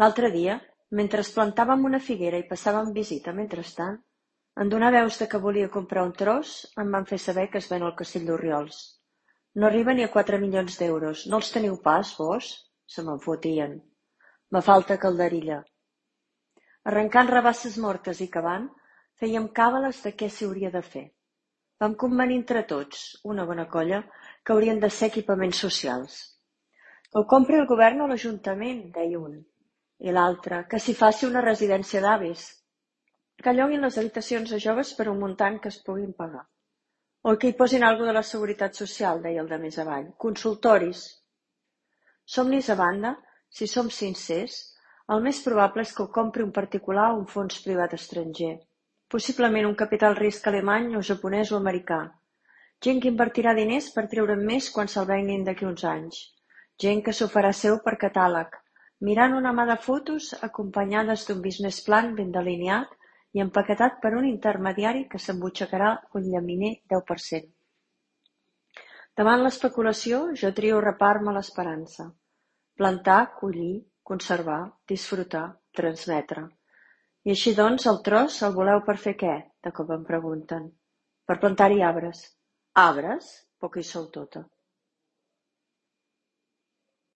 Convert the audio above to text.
L'altre dia, mentre plantàvem una figuera i passàvem visita mentrestant, en donar veus de que volia comprar un tros, em van fer saber que es ven al Castell d'Orriols. No arriba ni a 4 milions d'euros. No els teniu pas, vós? Se me'n fotien. Me falta calderilla. Arrencant rabasses mortes i cavant, fèiem càbales de què s'hi hauria de fer. Vam convenir entre tots, una bona colla, que haurien de ser equipaments socials. Que ho compri el govern o l'Ajuntament, deia un. I l'altre, que s'hi faci una residència d'avis. Que lloguin les habitacions a joves per un muntant que es puguin pagar. O que hi posin alguna de la Seguretat Social, deia el de més avall. Consultoris. Somnis a banda, si som sincers, el més probable és que ho compri un particular o un fons privat estranger. Possiblement un capital risc alemany o japonès o americà. Gent que invertirà diners per treure'n més quan se'l venguin d'aquí uns anys. Gent que s'ho farà seu per catàleg, mirant una mà de fotos acompanyades d'un business plan ben delineat i empaquetat per un intermediari que s'embutxacarà un llaminer 10%. Davant l'especulació, jo trio repar-me l'esperança. Plantar, collir, conservar, disfrutar, transmetre. I així doncs, el tros el voleu per fer què? De cop em pregunten. Per plantar-hi arbres. Arbres? Poca hi sou tota.